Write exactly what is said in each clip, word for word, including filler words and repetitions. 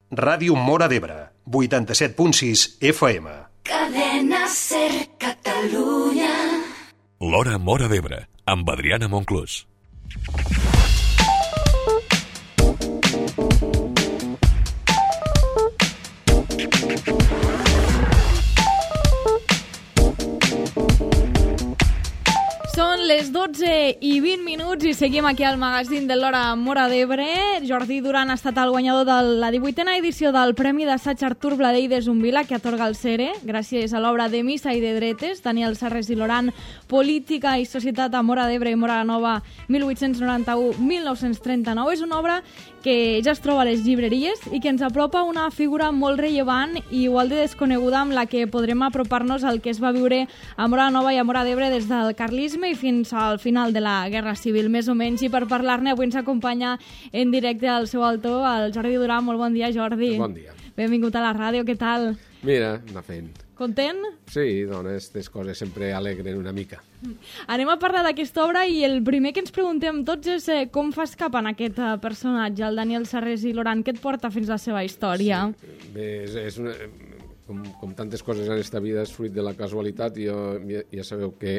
Ràdio Móra d'Ebre, vuitanta-set punt sis F M. Cadena Ser Catalunya. L'Hora Móra d'Ebre, amb Adriana Monclús. Són les dotze i vint minuts i seguim aquí al magazín de l'Hora Móra d'Ebre. Jordi Duran ha estat el guanyador de la divuitena edició del Premi d'Assaig Artur Bladell de Zumbila, que atorga el Cere, gràcies a l'obra de Missa i de Dretes, Daniel Serres i Loran, Política i Societat a Móra d'Ebre i Móra la Nova, mil vuit-cents noranta-u a mil nou-cents trenta-nou. És una obra que ja es troba a les llibreries i que ens apropa una figura molt rellevant i igual de desconeguda, amb la que podrem apropar-nos al que es va viure a Móra la Nova i a Móra d'Ebre des del carlisme i fins al final de la Guerra Civil, més o menys. I per parlar-ne avui ens acompanya en directe al seu autor, el Jordi Duran. Molt bon dia, Jordi. Bon dia. Benvingut a la ràdio, què tal? Mira, anar fent. Content? Sí, doncs aquestes coses sempre alegren una mica. Anem a parlar d'aquesta obra i el primer que ens preguntem tots és eh, com fas cap en aquest eh, personatge, el Daniel Serres i Loran, què et porta fins a la seva història? Sí. Bé, és, és una, com, com tantes coses en aquesta vida és fruit de la casualitat. Jo ja, ja sabeu que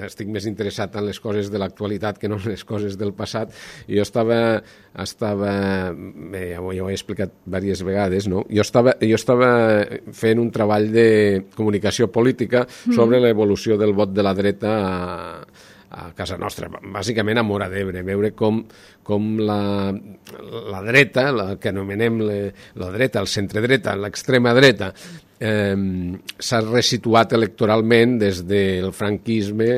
estic més interessat en les coses de l'actualitat que no en les coses del passat. I jo estava, estava bé, ja ho, ja ho he explicat diverses vegades, no? Jo estava, jo estava fent un treball de comunicació política sobre mm. l'evolució del vot de la dreta a, a casa nostra, bàsicament a Móra d'Ebre, veure com, com la, la dreta, la que anomenem le, la dreta, el centre-dreta, l'extrema dreta, eh, s'ha resituat electoralment des del franquisme,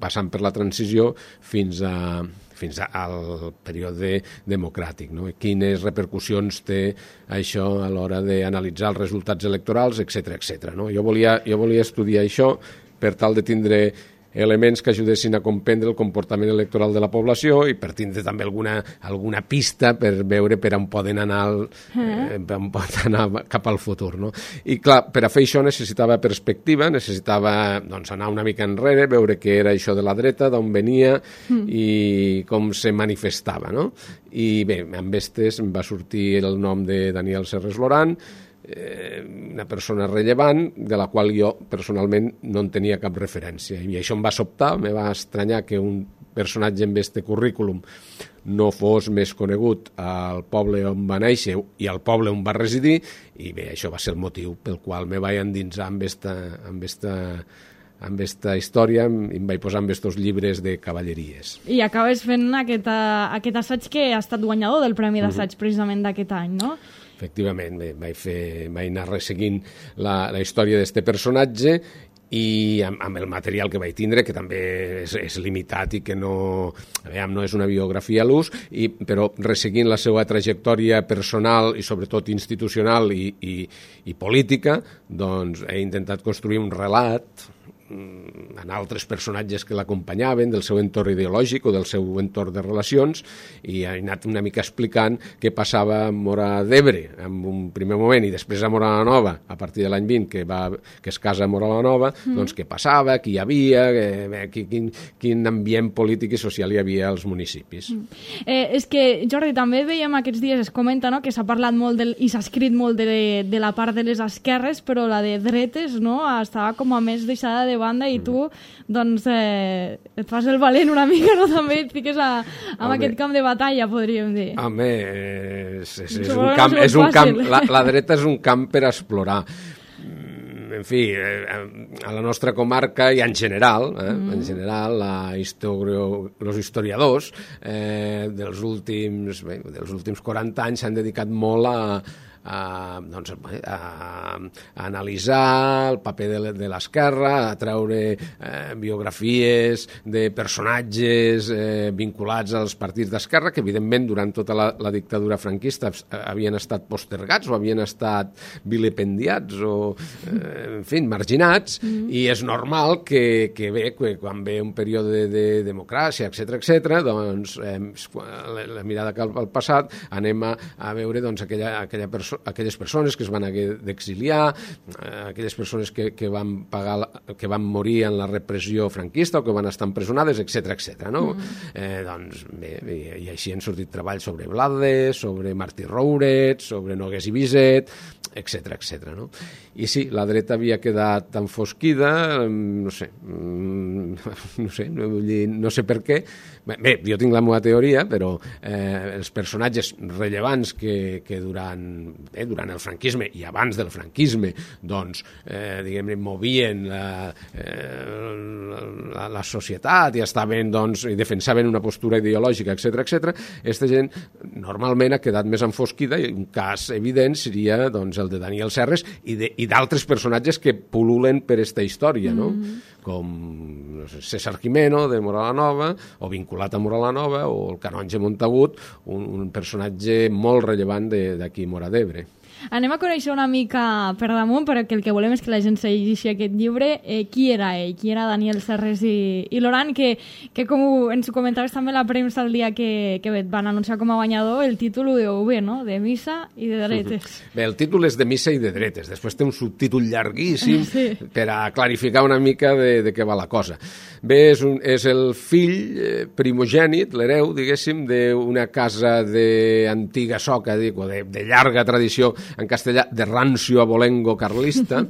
passant per la transició, fins a fins al període democràtic, no? Quines repercussions té això a l'hora d'analitzar els resultats electorals, etcètera, etcètera, no? Jo volia, jo volia estudiar això per tal de tindre elements que ajudessin a comprendre el comportament electoral de la població i per tindre també alguna, alguna pista per veure per on poden anar, el, eh, per on poden anar cap al futur, no? I clar, per a fer això necessitava perspectiva, necessitava doncs, anar una mica enrere, veure què era això de la dreta, d'on venia mm. i com se manifestava, no? I bé, amb estes em va sortir el nom de Daniel Serres Loran, Eh, una persona rellevant de la qual jo personalment no en tenia cap referència, i això em va sobtar, me va estranyar que un personatge amb este currículum no fos més conegut al poble on va néixer i al poble on va residir, i bé, això va ser el motiu pel qual me vaig endinsar amb esta, amb esta amb esta història i em vaig posar amb estos llibres de cavalleries. I acabes fent aquest, aquest assaig que ha estat guanyador del Premi d'Assaig uh-huh. precisament d'aquest any, no? Efectivament, bé, vaig, fer, vaig anar resseguint la, la història d'aquest personatge i amb, amb el material que vaig tindre, que també és, és limitat i que no, veiem, no és una biografia a l'ús, i, però resseguint la seva trajectòria personal i sobretot institucional i, i, i política, doncs he intentat construir un relat en altres personatges que l'acompanyaven, del seu entorn ideològic o del seu entorn de relacions, i he anat una mica explicant què passava a Móra d'Ebre en un primer moment i després a Móra la Nova, a partir de l'any vint, que, va, que es casa a Móra la Nova, mm. doncs què passava, qui hi havia, que, quin, quin ambient polític i social hi havia als municipis. Mm. Eh, és que, Jordi, també veiem aquests dies, es comenta, no?, que s'ha parlat molt del, i s'ha escrit molt de, de la part de les esquerres, però la de dretes, no?, estava com a més deixada de banda i tu, doncs, eh, et fas el valent una mica, no?, també et fiques a, a aquest camp de batalla, podríem dir. Home, és, és, és un camp, és un camp, la, la dreta és un camp per explorar. En fi, a la nostra comarca i en general, eh, mm. en general, la historio, els historiadors eh, dels últims, bé, dels últims quaranta anys s'han dedicat molt a A, doncs, a, a analitzar el paper de, de l'esquerra, a treure eh, biografies de personatges eh, vinculats als partits d'esquerra que evidentment durant tota la, la dictadura franquista havien estat postergats o havien estat vilipendiats o eh, en fi, marginats, mm. i és normal que, que bé, que quan ve un període de, de democràcia, etcètera, etcètera, doncs eh, la, la mirada cap al passat anem a, a veure doncs, aquella, aquella persona perso aquelles persones que es van haver d'exiliar, eh, aquelles persones que, que, van pagar la, que van morir en la repressió franquista o que van estar empresonades, etcètera, etcètera. No? Mm. Eh, doncs, bé, i, i així han sortit treballs sobre Blades, sobre Martí Rouret, sobre Nogués i Biset, etcètera, etcètera. No? I sí, la dreta havia quedat enfosquida, no sé, no sé, no, vull dir, no sé per què. Bé, jo tinc la meva teoria, però eh, els personatges rellevants que, que durant, eh, durant el franquisme i abans del franquisme doncs, eh, diguem-ne, movien la, eh, la, la societat i estaven, doncs, i defensaven una postura ideològica, etcètera, etcètera, aquesta gent normalment ha quedat més enfosquida i un cas evident seria doncs, el de Daniel Serres i de, i d'altres personatges que pul·lulen per esta història, no? Mm-hmm. Com no sé, César Gimeno de Moral-la-Nova, o vinculat a Moral-la-Nova, o el Canonge Montagut, un, un personatge molt rellevant d'aquí Móra d'Ebre. Anem a conèixer una mica per damunt, perquè el que volem és que la gent se llegeixi aquest llibre. Eh, qui era ell? Qui era Daniel Serres i, i Loran? Que, que com ens ho comentaves també la premsa el dia que, que van anunciar com a guanyador, el títol ho deu bé, no? De missa i de dretes. Bé, el títol és de missa i de dretes. Després té un subtítol llarguíssim sí. per a clarificar una mica de, de què va la cosa. Bé, és, un, és el fill primogènit, l'hereu, diguéssim, d'una casa d'antiga soca, dic, o de, de llarga tradició en castellà, de rancio abolengo carlista,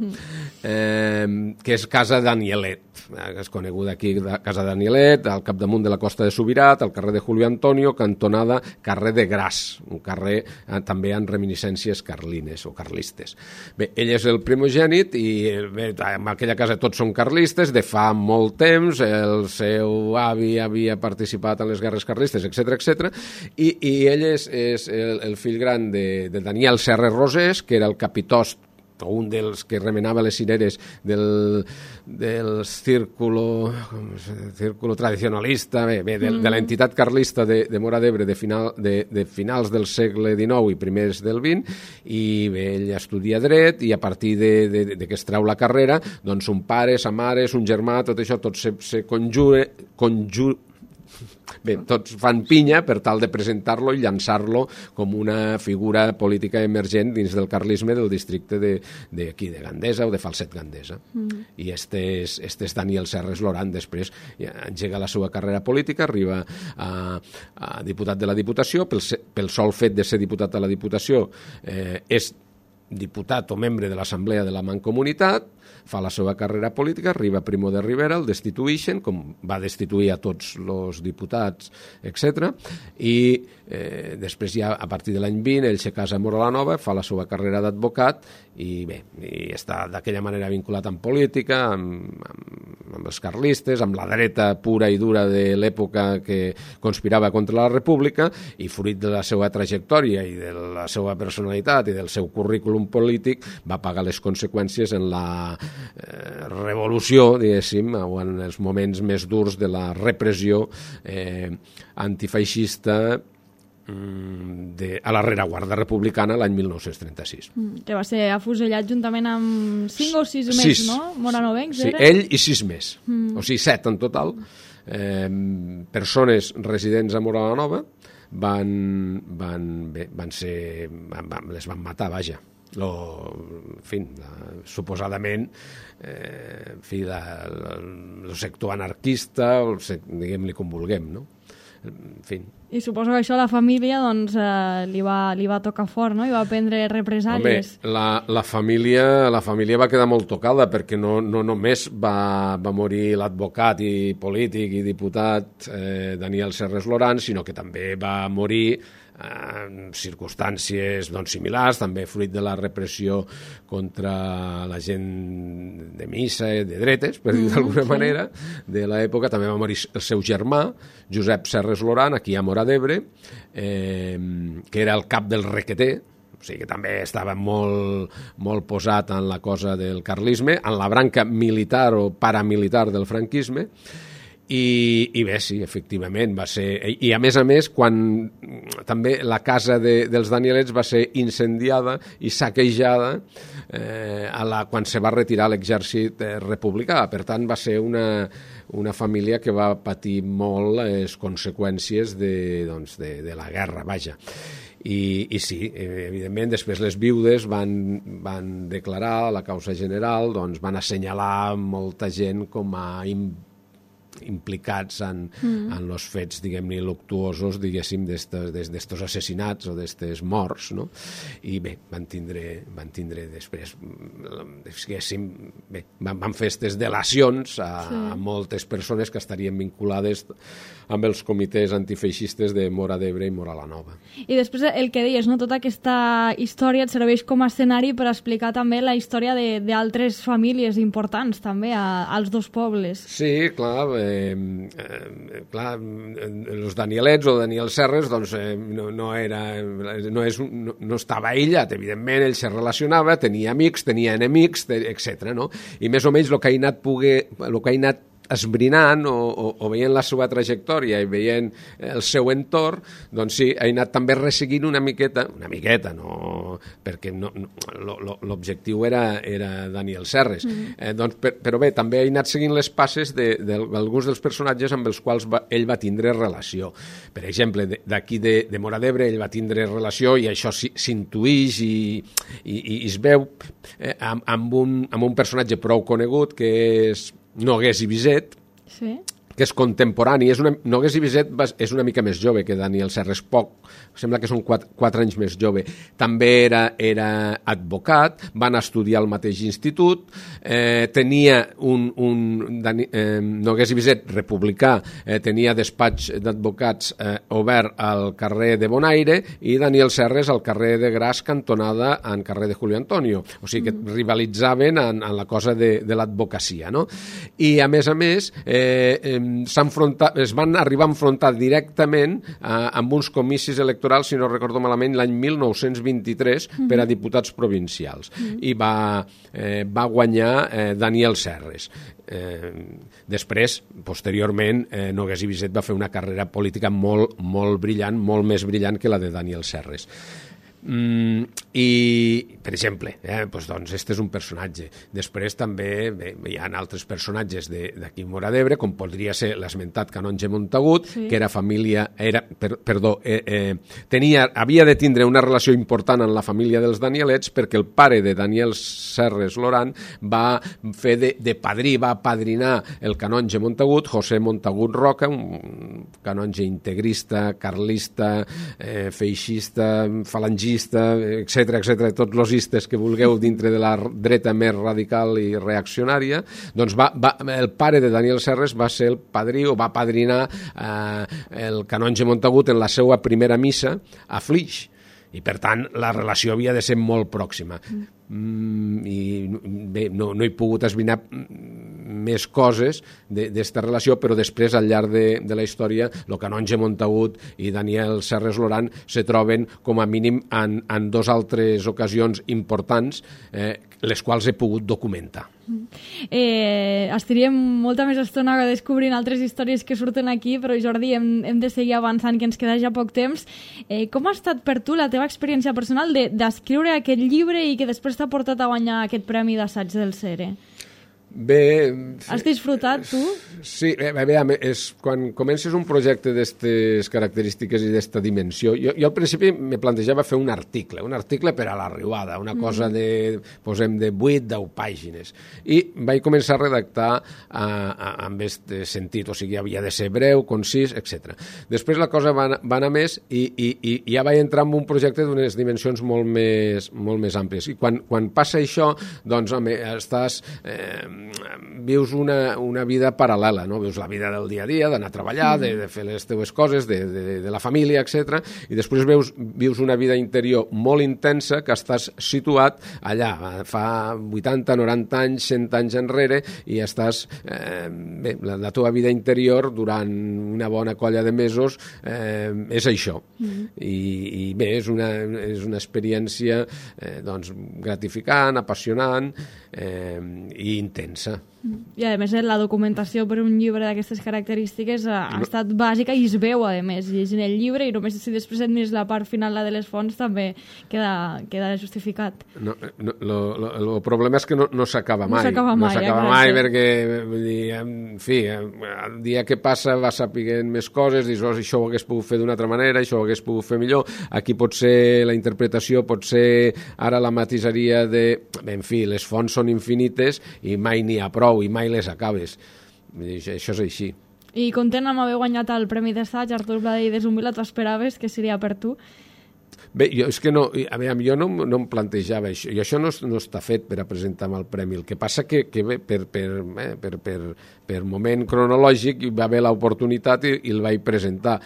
eh, que és Casa Danielet, que és coneguda aquí, Casa Danielet, al capdamunt de la Costa de Subirat, al carrer de Julio Antonio, cantonada carrer de Gras, un carrer eh, també amb reminiscències carlines o carlistes. Bé, ell és el primogènit i bé, en aquella casa tots són carlistes, de fa molt temps, el seu avi havia participat en les guerres carlistes, etcètera, etcètera, i, i ell és, és el, el fill gran de, de Daniel Serres Rosés, que era el capitost o un dels que remenava les cireres del, del círculo, círculo tradicionalista, bé, bé, de, de l'entitat carlista de, de Móra d'Ebre de, final, de, de finals del segle dinou i primers del vint, i bé, ell estudia dret i a partir de, de, de que es treu la carrera, doncs un pare, sa mare, un germà, tot això, tot se, se conjure, conjure, bé, tots fan pinya per tal de presentar-lo i llançar-lo com una figura política emergent dins del carlisme del districte de, de, aquí, de Gandesa o de Falset Gandesa. Mm. I este és, este és Daniel Serres Loran, després engega la seva carrera política, arriba a, a diputat de la Diputació, pel, pel sol fet de ser diputat de la Diputació eh, és diputat o membre de l'Assemblea de la Mancomunitat, fa la seva carrera política, arriba Primo de Rivera, el destituïxen, com va destituir a tots els diputats, etcètera, i eh, després ja, a partir de l'any vint, ell se casa a Móra-la-Nova, fa la seva carrera d'advocat, i bé, i està d'aquella manera vinculat amb política, amb, amb, amb els carlistes, amb la dreta pura i dura de l'època que conspirava contra la República, i fruit de la seva trajectòria i de la seva personalitat i del seu currículum polític, va pagar les conseqüències en la eh, revolució, diguéssim, o en els moments més durs de la repressió eh, antifeixista de, a la rereguarda republicana l'any mil nou-cents trenta-sis. Mm, que va ser afusellat juntament amb cinc o sis més, sis. No? Moranovencs, sí, era? Ell i sis més, mm. o sigui, set en total. Eh, persones residents a Móra-la-Nova van, van, bé, van ser, van, van, les van matar, vaja. Lo, en fi, la, suposadament eh, en fi, la, la, el sector anarquista, el, diguem-li com vulguem, no? En fi. I suposo que això a la família doncs, eh, li, va, li va tocar fort, no? I va prendre represàlies. Home, la, la, família, la família va quedar molt tocada perquè no, no només va, va morir l'advocat i polític i diputat eh, Daniel Serres Loran, sinó que també va morir en circumstàncies doncs, similars, també fruit de la repressió contra la gent de missa, de dretes, per dir d'alguna mm, manera, de l'època. També va morir el seu germà, Josep Serres Loran, aquí a Móra d'Ebre, eh, que era el cap del requeter, o sigui que també estava molt, molt posat en la cosa del carlisme, en la branca militar o paramilitar del franquisme. I, i bé, sí, efectivament va ser, i a més a més quan també la casa de, dels Danielets va ser incendiada i saquejada eh, a la, quan se va retirar l'exèrcit eh, republicà, per tant va ser una, una família que va patir molt les conseqüències de, doncs, de, de la guerra, vaja. I, i sí, evidentment, després les viudes van, van declarar la causa general, doncs van assenyalar molta gent com a implicats implicats en, mm. en els fets, diguem-ne, luctuosos, diguéssim, d'estos assassinats o d'estes morts, no? I bé, van tindre, van tindre després, diguéssim, bé, van, van fer aquestes delacions a, sí. a moltes persones que estarien vinculades amb els comitès antifeixistes de Móra d'Ebre i Móra la Nova. I després el que deies, no? Tota aquesta història et serveix com a escenari per explicar també la història d'altres famílies importants també a, als dos pobles. Sí, clar, eh, eh, clar, els Danielets o Daniel Serres doncs, eh, no, no, era, no, és, no, no estava aïllat, evidentment, ell se relacionava, tenia amics, tenia enemics, etcètera. No? I més o menys el que ha anat, poder, el que ha anat esbrinant o, o, o veient la seva trajectòria i veient el seu entorn, doncs sí, ha anat també resseguint una miqueta, una miqueta, no, perquè no, no, l'objectiu era, era Daniel Serres. Mm. Eh, doncs, per, però bé, també ha anat seguint les passes d'alguns de, de, dels personatges amb els quals va, ell va tindre relació. Per exemple, d'aquí de, de Móra d'Ebre ell va tindre relació i això s'intuïx i, i, i es veu eh, amb, amb, un, amb un personatge prou conegut que és Nogués i Viset, sí. que és contemporani. És una, Nogués i Viset és una mica més jove que Daniel Serres, poc, sembla que són quatre, quatre anys més jove. També era, era advocat, van estudiar al mateix institut, eh, tenia un, un Dani, eh, Nogués i Viset republicà, eh, tenia despatx d'advocats eh, obert al carrer de Bonaire i Daniel Serres al carrer de Gras, cantonada en carrer de Julio Antonio. O sigui que mm. rivalitzaven en, en la cosa de, de l'advocacia, no? I a més a més eh, eh, es van arribar a enfrontar directament eh, amb uns comicis electorals, si no recordo malament, l'any mil nou-cents vint-i-tres mm-hmm. per a diputats provincials. Mm-hmm. I va, eh, va guanyar eh, Daniel Serres. Eh, després, posteriorment, eh, Nogués i Viset va fer una carrera política molt, molt brillant, molt més brillant que la de Daniel Serres. Mm, i, per exemple, eh, doncs, doncs, este és un personatge. Després també bé, hi ha altres personatges d'aquí Móra d'Ebre, com podria ser l'esmentat canonge Montagut, sí. que era família, era, per, perdó, eh, eh, tenia, havia de tindre una relació important en la família dels Danielets perquè el pare de Daniel Serres Loran va fer de, de padrí, va apadrinar el canonge Montagut, José Montagut Roca, un canonge integrista, carlista, eh, feixista, falangista, etcètera, etcètera, tots los istes que vulgueu dintre de la dreta més radical i reaccionària, doncs va, va, el pare de Daniel Serres va ser el padrí o va padrinar eh, el canonge Montagut en la seva primera missa a Flix. I, per tant, la relació havia de ser molt pròxima. Mm, i bé, no, no he pogut esbrinar més coses d'esta relació, però després, al llarg de, de la història, el canonge Montagut i Daniel Serres Loran se troben, com a mínim, en, en dos altres ocasions importants, eh, les quals he pogut documentar. Eh, estaríem molta més estona descobrint altres històries que surten aquí, però Jordi, hem, hem de seguir avançant, que ens queda ja poc temps. Eh, com ha estat per tu la teva experiència personal d'escriure de, aquest llibre i que després t'ha portat a guanyar aquest premi d'assaig del Cere? Bé... Has disfrutat, tu? Sí, bé, bé, és, quan comences un projecte d'aquestes característiques i d'esta dimensió, jo, jo al principi me plantejava fer un article, un article per a la riuada, una cosa de, posem, de vuit deu pàgines. I vaig començar a redactar a, a, amb aquest sentit, o sigui, havia de ser breu, concís, etcètera. Després la cosa va, va anar més i, i, i ja vaig entrar en un projecte d'unes dimensions molt més, molt més àmplies. I quan, quan passa això, doncs, home, estàs... Eh, vius una, una vida paral·lela, no? Vius la vida del dia a dia, d'anar a treballar, de, de fer les teves coses, de, de, de la família, etcètera. I després veus, vius una vida interior molt intensa que estàs situat allà, fa vuitanta, noranta anys, cent anys enrere, i estàs, eh, bé, la, la teva vida interior durant una bona colla de mesos eh, és això. Mm. I, i bé, és una, és una experiència eh, doncs, gratificant, apassionant eh, i intensa. I a més la documentació per un llibre d'aquestes característiques ha, ha estat bàsica i es veu a més llegint el llibre, i només si després et mires la part final, la de les fonts, també queda, queda justificat. No, no, lo, lo, el problema és que no, no s'acaba mai. No s'acaba mai, no s'acaba exacte. mai perquè, vull dir, en fi, el dia que passa va sapiguent més coses, dius, oh, això ho hagués pogut fer d'una altra manera, això ho hagués pogut fer millor, aquí pot ser la interpretació, pot ser ara la matisaria de... Bé, en fi, les fonts són infinites i mai n'hi ha prou, i mai les acabes. Això és així. I content amb haver guanyat el Premi d'Assaig, Artur Bladé i de Zumbila, tu esperaves que seria per tu? Bé, jo, és que no, a veure, jo no, no em plantejava això, i això no, no està fet per a presentar-me el premi. El que passa que, que bé, per, per, eh, per, per, per moment cronològic hi va haver l'oportunitat i, i el vaig presentar.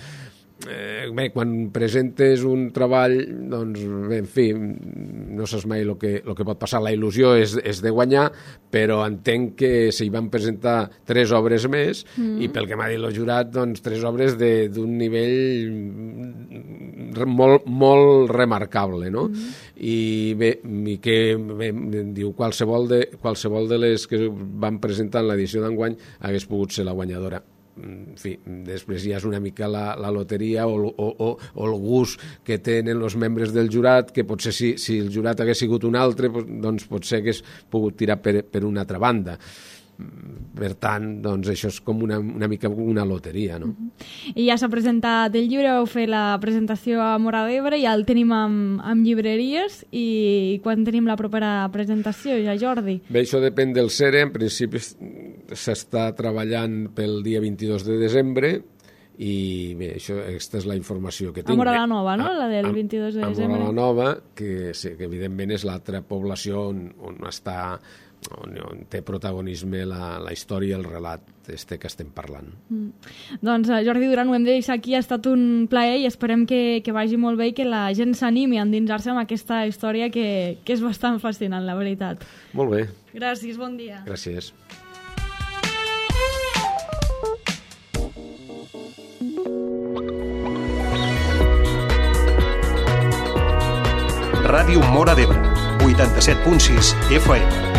Eh, bé, quan presentes un treball, doncs, bé, en fi, no saps mai el que, el que pot passar. La il·lusió és, és de guanyar, però entenc que s'hi van presentar tres obres més, mm. i pel que m'ha dit el jurat, doncs, tres obres d'un nivell molt, molt remarcable, no? Mm. I bé, i que bé, diu, qualsevol de, qualsevol de les que van presentar en l'edició d'enguany hagués pogut ser la guanyadora. En fi, després ja és una mica la, la loteria o, o, o, o el gust que tenen els membres del jurat, que potser si, si el jurat hagués sigut un altre, doncs potser hagués pogut tirar per, per una altra banda. Per tant, doncs això és com una, una mica una loteria, no? Uh-huh. I ja s'ha presentat el llibre, vau fer la presentació a Móra d'Ebre, ja el tenim amb, amb llibreries, i quan tenim la propera presentació, ja, Jordi? Bé, això depèn del C E R E, en principi s'està treballant pel dia vint-i-dos de desembre, i bé, això, aquesta és la informació que tinc. A Móra la Nova, no?, la del vint-i-dos de desembre. A Móra la Nova, que, sí, que evidentment és l'altra població on, on està... On, on té protagonisme la, la història i el relat este que estem parlant. Mm. Doncs Jordi Duran, ho hem de deixar aquí, ha estat un plaer i esperem que, que vagi molt bé i que la gent s'animi a endinsar-se amb aquesta història que, que és bastant fascinant, la veritat. Molt bé. Gràcies, bon dia. Gràcies. Ràdio Móra d'Ebre, vuitanta-set punt sis F M.